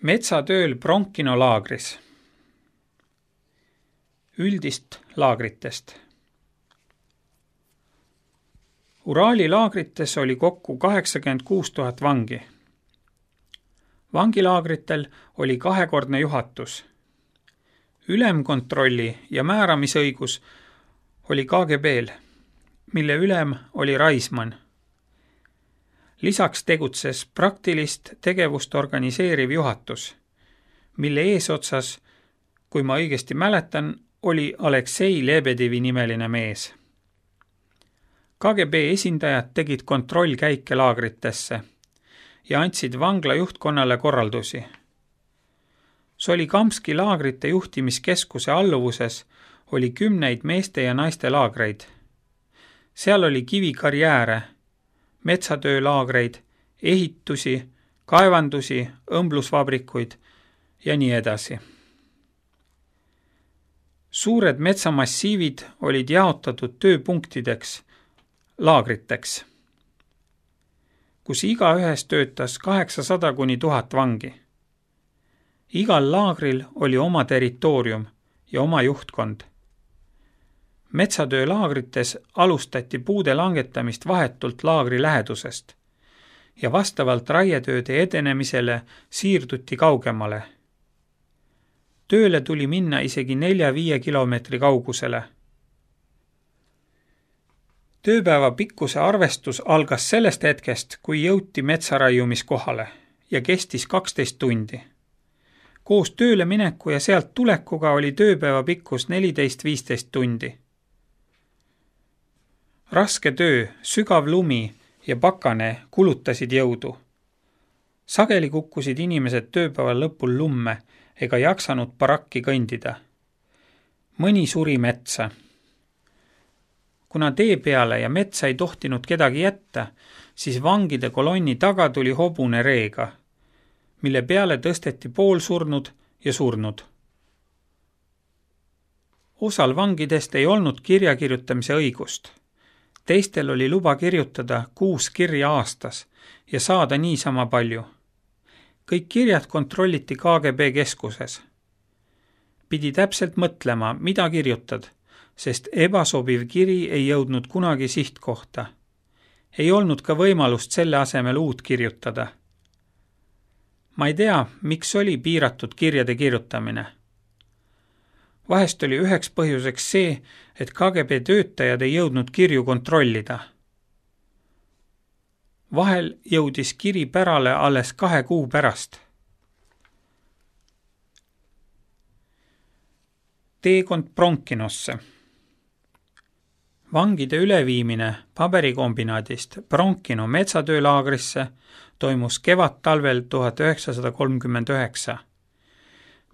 Metsatööl Bronkino laagris. Üldist laagritest. Uraali laagrites oli kokku 86 000 vangi. Vangilaagritel oli kahekordne juhatus. Ülemkontrolli ja määramisõigus oli KGB-l, mille ülem oli Raisman. Lisaks tegutses praktilist tegevust organiseeriv juhatus, mille eesotsas, kui ma õigesti mäletan, oli Aleksei Lebedevi nimeline mees. KGB esindajad tegid kontrollkäike laagritesse ja andsid vangla juhtkonnale korraldusi. Solikamski laagrite juhtimiskeskuse alluvuses oli 10 meeste ja naiste laagreid. Seal oli kivikarjääre, metsatöölaagreid, ehitusi, kaevandusi, õmblusvabrikuid ja nii edasi. Suured metsamassiivid olid jaotatud tööpunktideks, laagriteks, kus igaühes töötas 800 kuni 1000 vangi. Igal laagril oli oma territoorium ja oma juhtkond. Metsatöölaagrites alustati puude langetamist vahetult laagri lähedusest ja vastavalt raietööde edenemisele siirduti kaugemale. Tööle tuli minna isegi 4-5 kilomeetri kaugusele. Tööpäeva pikkuse arvestus algas sellest hetkest, kui jõuti metsaraiumiskohale ja kestis 12 tundi. Koos tööle mineku ja sealt tulekuga oli tööpäeva pikkus 14-15 tundi. Raske töö, sügav lumi ja pakane kulutasid jõudu. Sageli kukkusid inimesed tööpäeva lõpul lumme ega jaksanud barakki kõndida. Mõni suri metsa. Kuna tee peale ja metsa ei tohtinud kedagi jätta, siis vangide kolonni taga tuli hobune reega, mille peale tõsteti poolsurnud ja surnud. Osal vangidest ei olnud kirjakirjutamise õigust. Teistel oli luba kirjutada 6 kirja aastas ja saada niisama palju. Kõik kirjad kontrolliti KGB keskuses. Pidi täpselt mõtlema, mida kirjutad, sest ebasobiv kiri ei jõudnud kunagi sihtkohta. Ei olnud ka võimalust selle asemel uut kirjutada. Ma ei tea, miks oli piiratud kirjade kirjutamine. Vahest oli üheks põhjuseks see, et KGB töötajad ei jõudnud kirju kontrollida. Vahel jõudis kiri pärale alles 2 kuu pärast. Teekond Bronkinosse. Vangide üleviimine paberikombinaadist Bronkino metsatöölaagrisse toimus kevad-talvel 1939.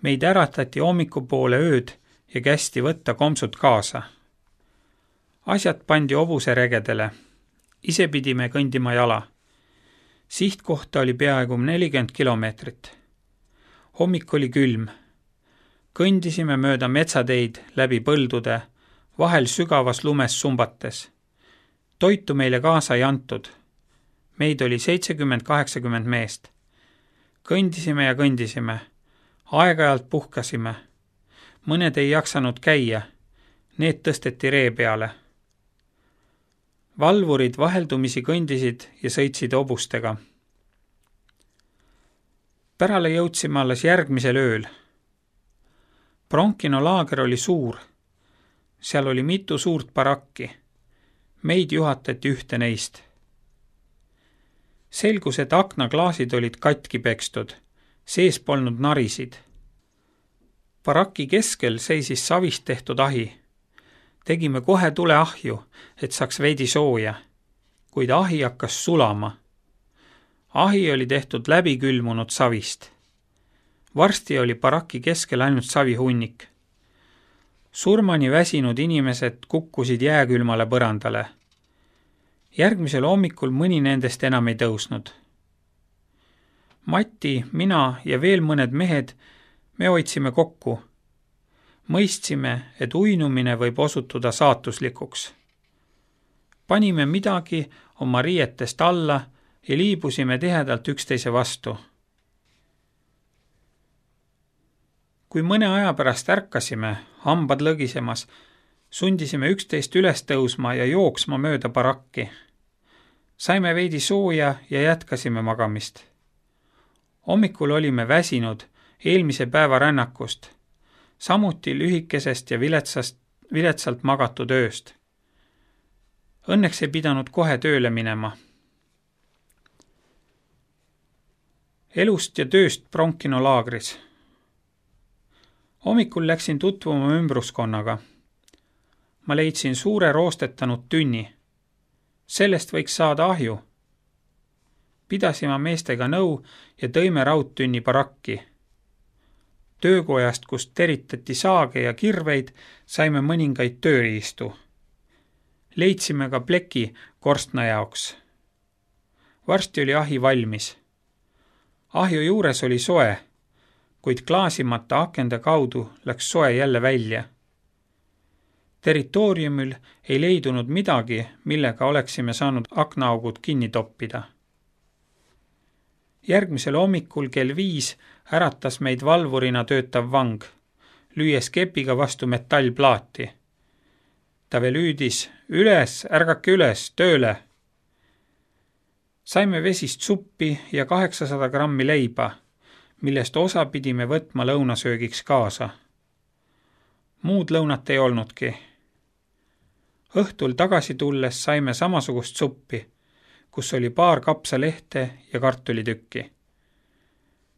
Meid äratati hommikupoole ööd ja kästi võtta komsud kaasa. Asjad pandi hobuseregedele. Ise pidime kõndima jala. Sihtkohta oli peaaegu 40 kilomeetrit. Hommik oli külm. Kõndisime mööda metsateid läbi põldude, vahel sügavas lumes sumbates. Toitu meile kaasa ei antud. Meid oli 70-80 meest. Kõndisime ja kõndisime. Aeg-ajalt puhkasime. Mõned ei jaksanud käia. Need tõsteti ree peale. Valvurid vaheldumisi kõndisid ja sõitsid hobustega. Pärale jõudsime alles järgmisel ööl. Bronkino laager oli suur. Seal oli mitu suurt barakki. Meid juhatati ühte neist. Selgus, et aknaklaasid olid katki pekstud. Sees polnud narisid. Baraki keskel seisis savist tehtud ahi. Tegime kohe tuleahju, et saaks veidi sooja, kuid ahi hakkas sulama. Ahi oli tehtud läbikülmunud savist. Varsti oli baraki keskel ainult savihunnik. Surmani väsinud inimesed kukkusid jääkülmale põrandale. Järgmisel hommikul mõni nendest enam ei tõusnud. Mati, mina ja veel mõned mehed, me hoidsime kokku. Mõistsime, et uinumine võib osutuda saatuslikuks. Panime midagi oma riietest alla ja liibusime tihedalt üksteise vastu. Kui mõne aja pärast ärkasime, hambad lõgisemas, sundisime üksteist üles tõusma ja jooksma mööda barakki. Saime veidi sooja ja jätkasime magamist. Hommikul olime väsinud eelmise päeva rännakust, samuti lühikesest ja viletsalt magatud ööst. Õnneks ei pidanud kohe tööle minema. Elust ja tööst Bronkino laagris. Hommikul läksin tutvuma ümbruskonnaga. Ma leidsin suure roostetanud tünni. Sellest võiks saada ahju. Pidasime meestega nõu ja tõime raudtünni barakki. Töökojast, kust teritati saage ja kirveid, saime mõningaid tööriistu. Leidsime ka pleki korstna jaoks. Varsti oli ahi valmis. Ahju juures oli soe, kuid klaasimata akende kaudu läks soe jälle välja. Territooriumil ei leidunud midagi, millega oleksime saanud aknaaugud kinni toppida. Järgmisel hommikul kell 5 äratas meid valvurina töötav vang, lüües kepiga vastu metallplaati. Ta veel hüüdis, üles, ärgake üles, tööle! Saime vesist suppi ja 800 grammi leiba, millest osa pidime võtma lõunasöögiks kaasa. Muud lõunat ei olnudki. Õhtul tagasi tulles saime samasugust suppi, kus oli paar kapsalehte ja kartulitükki.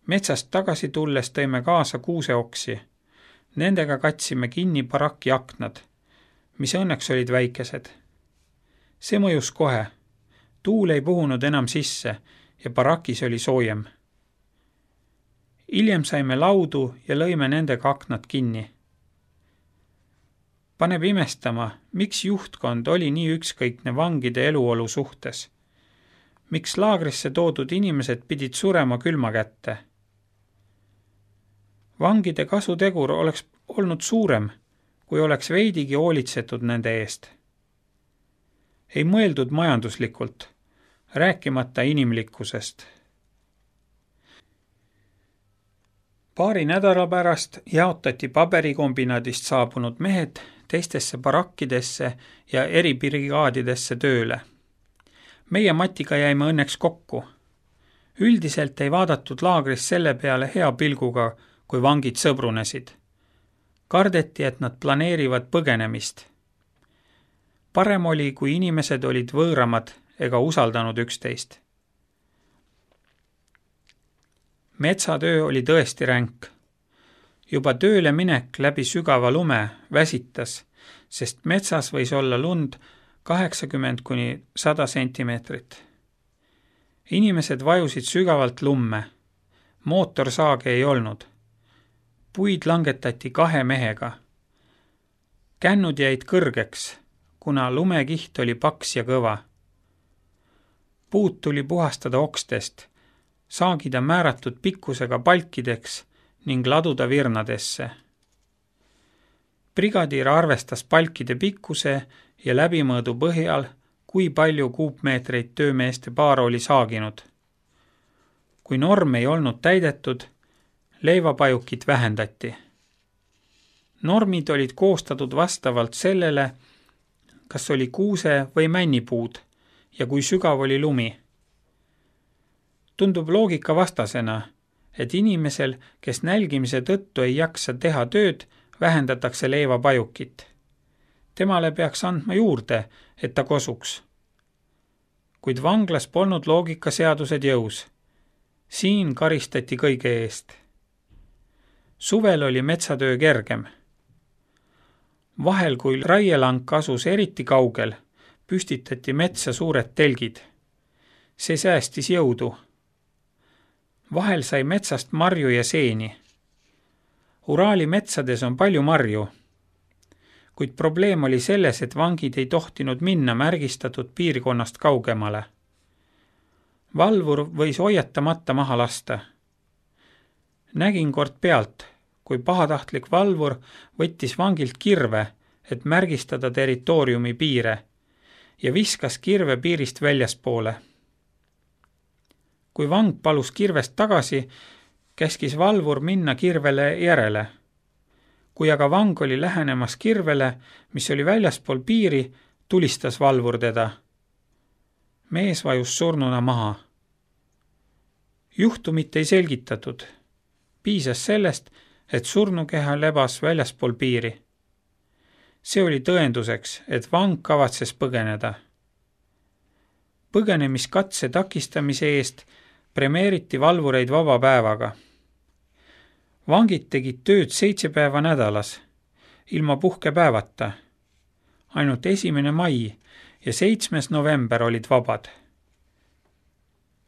Metsast tagasi tulles tõime kaasa kuuseoksi. Nendega katsime kinni barakki aknad, mis õnneks olid väikesed. See mõjus kohe. Tuul ei puhunud enam sisse ja barakis oli soojem. Hiljem saime laudu ja lõime nendega aknad kinni. Paneb imestama, miks juhtkond oli nii ükskõikne vangide eluolu suhtes. Miks laagrisse toodud inimesed pidid surema külma kätte? Vangide kasutegur oleks olnud suurem, kui oleks veidigi hoolitsetud nende eest. Ei mõeldud majanduslikult, rääkimata inimlikkusest. Paari nädala pärast jaotati paberikombinaadist saabunud mehed teistesse barakkidesse ja eribrigaadidesse tööle. Meie Matiga jäime õnneks kokku. Üldiselt ei vaadatud laagris selle peale hea pilguga, kui vangid sõbrunesid. Kardeti, et nad planeerivad põgenemist. Parem oli, kui inimesed olid võõramad ega usaldanud üksteist. Metsatöö oli tõesti ränk. Juba tööle minek läbi sügava lume väsitas, sest metsas võis olla lund 80–100 sentimeetrit. Inimesed vajusid sügavalt lumme. Mootorsaage ei olnud. Puid langetati 2 mehega. Kännud jäid kõrgeks, kuna lumekiht oli paks ja kõva. Puud tuli puhastada okstest, saagida määratud pikkusega palkideks ning laduda virnadesse. Brigadiir arvestas palkide pikkuse ja läbimõõdu põhjal, kui palju kuupmeetreid töömeeste paar oli saaginud. Kui norm ei olnud täidetud, leivapajukit vähendati. Normid olid koostatud vastavalt sellele, kas oli kuuse- või männipuud ja kui sügav oli lumi. Tundub loogika vastasena, et inimesel, kes nälgimise tõttu ei jaksa teha tööd, vähendatakse leivapajukit. Temale peaks andma juurde, et ta kosuks. Kuid vanglas polnud loogikaseadused jõus. Siin karistati kõige eest. Suvel oli metsatöö kergem. Vahel, kui raielank asus eriti kaugel, püstitati metsa suured telgid. See säästis jõudu. Vahel sai metsast marju ja seeni. Uraali metsades on palju marju, kuid probleem oli selles, et vangid ei tohtinud minna märgistatud piirkonnast kaugemale. Valvur võis hoiatamata maha lasta. Nägin kord pealt, kui pahatahtlik valvur võttis vangilt kirve, et märgistada territooriumi piire ja viskas kirve piirist väljaspoole. Kui vang palus kirvest tagasi, käskis valvur minna kirvele järele, Kui aga vang oli lähenemas kirvele, mis oli väljaspool piiri, tulistas valvur teda. Mees vajus surnuna maha. Juhtumit ei selgitatud. Piisas sellest, et surnukeha lebas väljaspool piiri. See oli tõenduseks, et vang kavatses põgeneda. Põgenemiskatse takistamise eest premeeriti valvureid vaba päevaga. Vangid tegid tööd 7 päeva nädalas, ilma puhkepäevata. Ainult 1. mai ja 7. november olid vabad.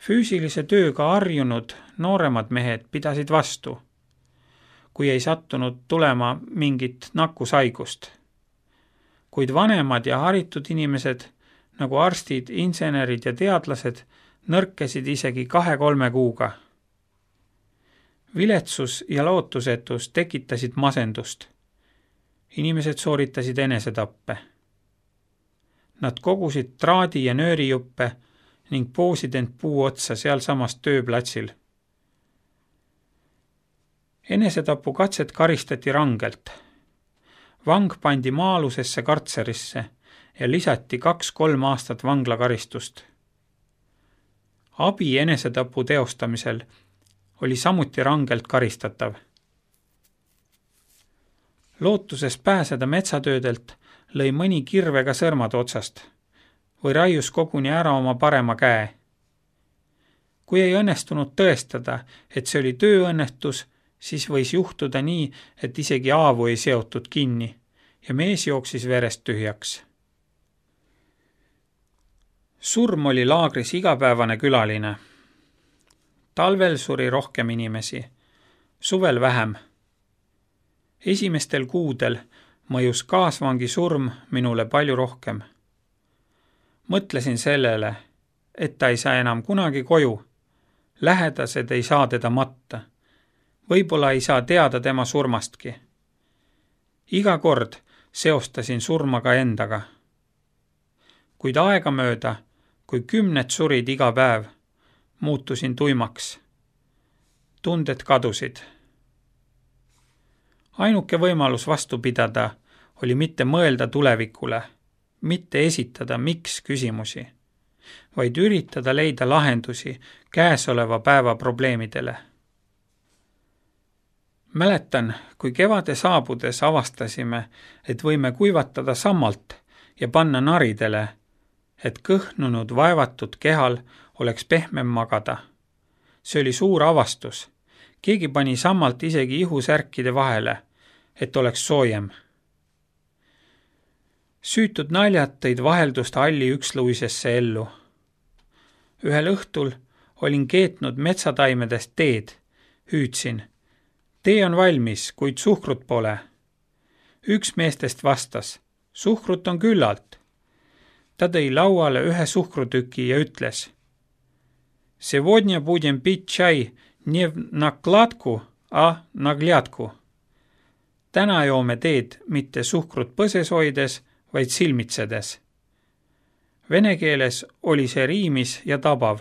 Füüsilise tööga harjunud nooremad mehed pidasid vastu, kui ei sattunud tulema mingit nakkushaigust. Kuid vanemad ja haritud inimesed, nagu arstid, insenerid ja teadlased, nõrkesid isegi 2-3 kuuga. Viletsus ja lootusetus tekitasid masendust. Inimesed sooritasid enesetappe. Nad kogusid traadi- ja nöörijuppe ning poosid end puu otsa sealsamas tööplatsil. Enesetapu katset karistati rangelt. Vang pandi maa-alusesse kartserisse ja lisati 2-3 aastat vanglakaristust. Abi enesetapu teostamisel oli samuti rangelt karistatav. Lootuses pääseda metsatöödelt lõi mõni kirvega sõrmad otsast või raius koguni ära oma parema käe. Kui ei õnnestunud tõestada, et see oli tööõnnetus, siis võis juhtuda nii, et isegi haavu ei seotud kinni ja mees jooksis verest tühjaks. Surm oli laagris igapäevane külaline. Talvel suri rohkem inimesi, suvel vähem. Esimestel kuudel mõjus kaasvangi surm minule palju rohkem. Mõtlesin sellele, et ta ei saa enam kunagi koju. Lähedased ei saa teda matta. Võib-olla ei saa teada tema surmastki. Iga kord seostasin surma ka endaga. Kuid aegamööda, kui 10 surid iga päev, muutusin tuimaks. Tunded kadusid. Ainuke võimalus vastu pidada oli mitte mõelda tulevikule, mitte esitada miks küsimusi, vaid üritada leida lahendusi käesoleva päeva probleemidele. Mäletan, kui kevade saabudes avastasime, et võime kuivatada sammalt ja panna naridele, et kõhnunud vaevatud kehal oleks pehmem magada. See oli suur avastus. Keegi pani sammalt isegi ihusärkide vahele, et oleks soojem. Süütud naljad tõid vaheldust halli üksluisesse ellu. Ühel õhtul olin keetnud metsataimedest teed. Hüüdsin. Tee on valmis, kuid suhkrut pole. Üks meestest vastas. Suhkrut on küllalt. Ta tõi lauale ühe suhkrutüki ja ütles. Сегодня будем пить чай не в накладку, а наглядку. Täna joome teed mitte suhkrut põses hoides, vaid silmitsedes. Vene keeles oli see riimis ja tabav.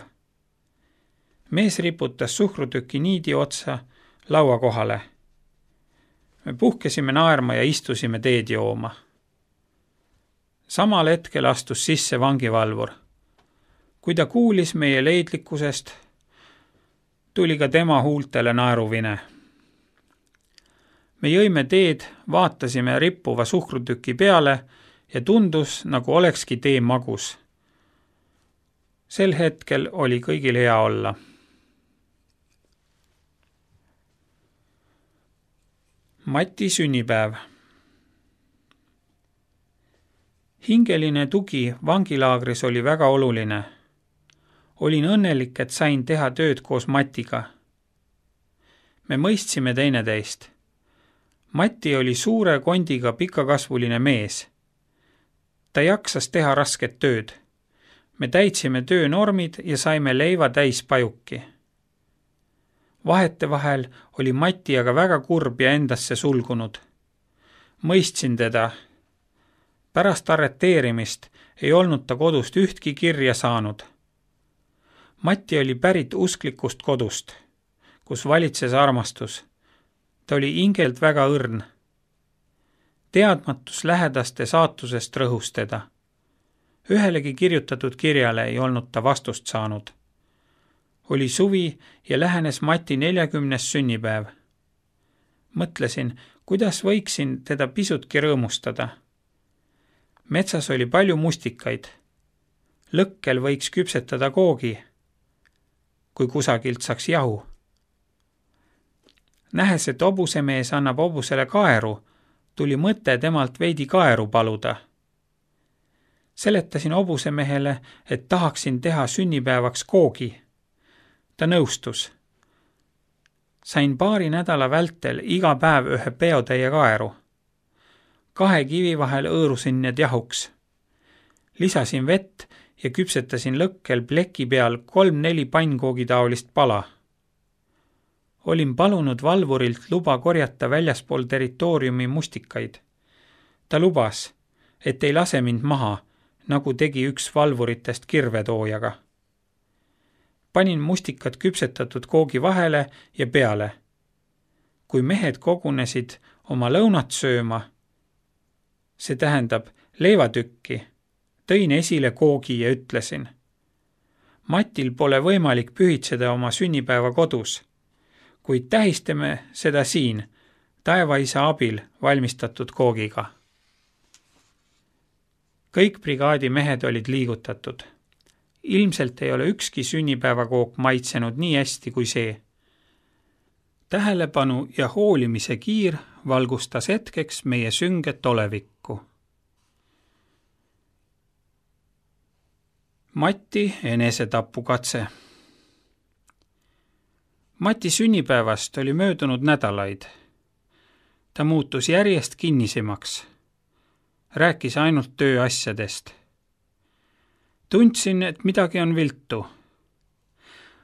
Mees riputas suhkrutüki niidi otsa laua kohale. Me puhkesime naerma ja istusime teed jooma. Samal hetkel astus sisse vangivalvur. Kui ta kuulis meie leidlikkusest, tuli ka tema huultele naeruvine. Me jõime teed, vaatasime rippuva suhkrutüki peale ja tundus, nagu olekski tee magus. Sel hetkel oli kõigil hea olla. Mati sünnipäev. Hingeline tugi vangilaagris oli väga oluline. Olin õnnelik, et sain teha tööd koos Matiga. Me mõistsime teineteist. Mati oli suure kondiga pikakasvuline mees. Ta jaksas teha rasket tööd. Me täitsime töönormid ja saime leiva täis pajuki. Vahetevahel oli Mati aga väga kurb ja endasse sulgunud. Mõistsin teda. Pärast arreteerimist ei olnud ta kodust ühtki kirja saanud. Mati oli pärit usklikust kodust, kus valitses armastus. Ta oli hingelt väga õrn. Teadmatus lähedaste saatusest rõhus teda. Ühelegi kirjutatud kirjale ei olnud ta vastust saanud. Oli suvi ja lähenes Mati 40. sünnipäev. Mõtlesin, kuidas võiksin teda pisutki rõõmustada. Metsas oli palju mustikaid. Lõkkel võiks küpsetada koogi, kui kusagilt saaks jahu. Nähes, et hobusemees annab hobusele kaeru, tuli mõte temalt veidi kaeru paluda. Seletasin hobusemehele, et tahaksin teha sünnipäevaks koogi. Ta nõustus. Sain paari nädala vältel iga päev ühe peotäie kaeru. 2 kivi vahel õõrusin need jahuks. Lisasin vett ja küpsetasin lõkkel pleki peal 3-4 pannkoogitaolist pala. Olin palunud valvurilt luba korjata väljaspool territooriumi mustikaid. Ta lubas, et ei lase mind maha, nagu tegi üks valvuritest kirvetoojaga. Panin mustikad küpsetatud koogi vahele ja peale. Kui mehed kogunesid oma lõunat sööma, see tähendab leivatükki, tõin esile koogi ja ütlesin: Matil pole võimalik pühitseda oma sünnipäeva kodus, kuid tähistame seda siin, taevaisa abil valmistatud koogiga. Kõik brigaadi mehed olid liigutatud. Ilmselt ei ole ükski sünnipäevakook maitsenud nii hästi kui see. Tähelepanu ja hoolimise kiir valgustas hetkeks meie sünget olevikku. Mati enesetapukatse. Mati sünnipäevast oli möödunud nädalaid. Ta muutus järjest kinnisemaks. Rääkis ainult tööasjadest. Tundsin, et midagi on viltu.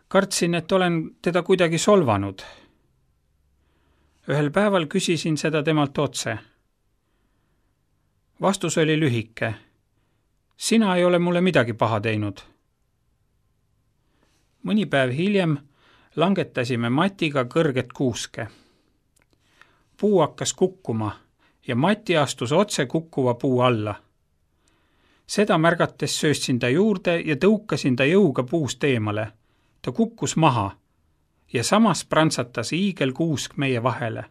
Kartsin, et olen teda kuidagi solvanud. Ühel päeval küsisin seda temalt otse. Vastus oli lühike. Sina ei ole mulle midagi paha teinud. Mõni päev hiljem langetasime Matiga kõrget kuuske. Puu hakkas kukkuma ja Mati astus otse kukkuva puu alla. Seda märgates sööstsin ta juurde ja tõukasin ta jõuga puust eemale. Ta kukkus maha ja samas prantsatas hiigelkuusk meie vahele.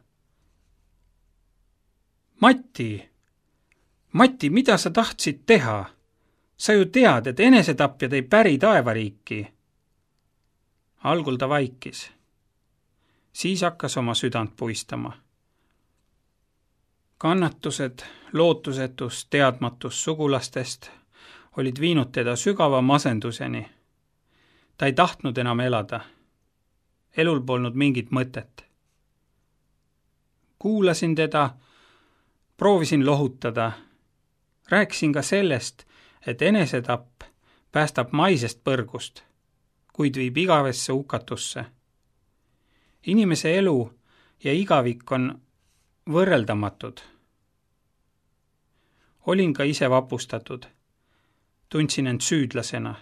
Mati, mida sa tahtsid teha? Sa ju tead, et enesetapjad ei päri taevariiki. Algul ta vaikis. Siis hakkas oma südant puistama. Kannatused, lootusetus, teadmatus sugulastest olid viinud teda sügava masenduseni. Ta ei tahtnud enam elada. Elul polnud mingit mõtet. Kuulasin teda, proovisin lohutada. Rääkisin ka sellest, et enesetapp päästab maisest põrgust, kuid viib igavesse hukatusse. Inimese elu ja igavik on võrreldamatud. Olin ka ise vapustatud. Tundsin end süüdlasena.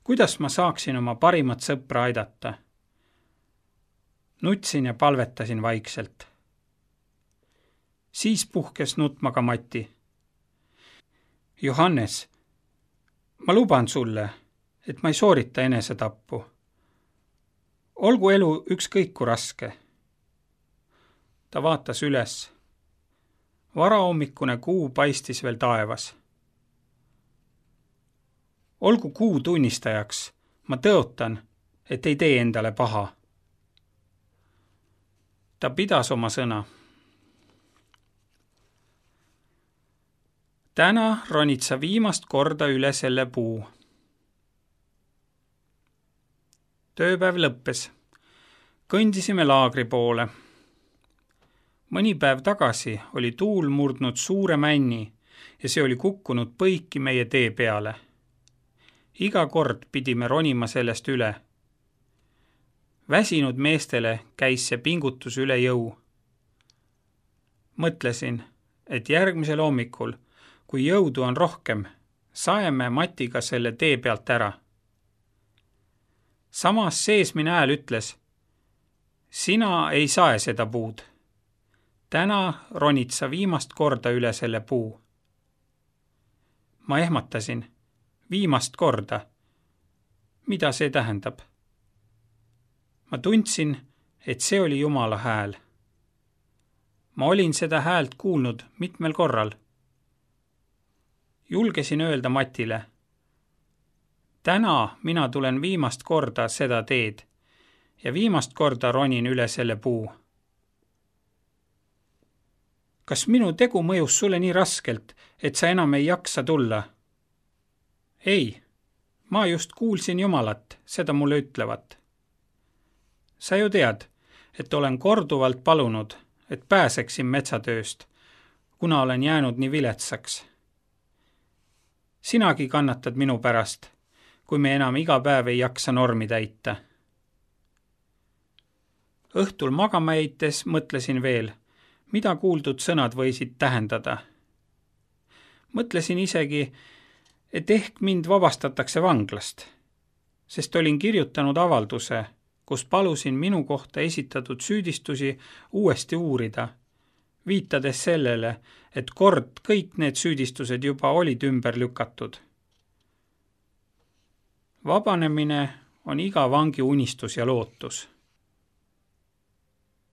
Kuidas ma saaksin oma parimat sõpra aidata? Nutsin ja palvetasin vaikselt. Siis puhkes nutma ka Mati. Johannes, ma luban sulle, et ma ei soorita enesetappu. Olgu elu ükskõik kui raske. Ta vaatas üles. Varahommikune kuu paistis veel taevas. Olgu kuu tunnistajaks, ma tõotan, et ei tee endale paha. Ta pidas oma sõna. Täna ronid sa viimast korda üle selle puu. Tööpäev lõppes. Kõndisime laagri poole. Mõni päev tagasi oli tuul murdnud suure männi ja see oli kukkunud põiki meie tee peale. Iga kord pidime ronima sellest üle. Väsinud meestele käis see pingutus üle jõu. Mõtlesin, et järgmisel hommikul, kui jõudu on rohkem, saeme Matiga selle tee pealt ära. Samas seesmine hääl ütles, sina ei sae seda puud. täna ronid sa viimast korda üle selle puu. Ma ehmatasin. Viimast korda. Mida see tähendab? Ma tundsin, et see oli Jumala hääl. Ma olin seda häält kuulnud mitmel korral. Julgesin öelda Matile, täna mina tulen viimast korda seda teed ja viimast korda ronin üle selle puu. Kas minu tegu mõjus sulle nii raskelt, et sa enam ei jaksa tulla? Ei, ma just kuulsin Jumalat, seda mulle ütlevat. Sa ju tead, et olen korduvalt palunud, et pääseksin metsatööst, kuna olen jäänud nii viletsaks. Sinagi kannatad minu pärast, kui me enam iga päev ei jaksa normi täita. Õhtul magama jäites mõtlesin veel, mida kuuldud sõnad võisid tähendada. Mõtlesin isegi, et ehk mind vabastatakse vanglast, sest olin kirjutanud avalduse, kus palusin minu kohta esitatud süüdistusi uuesti uurida, viitades sellele, et kord kõik need süüdistused juba olid ümber lükatud. Vabanemine on iga vangi unistus ja lootus.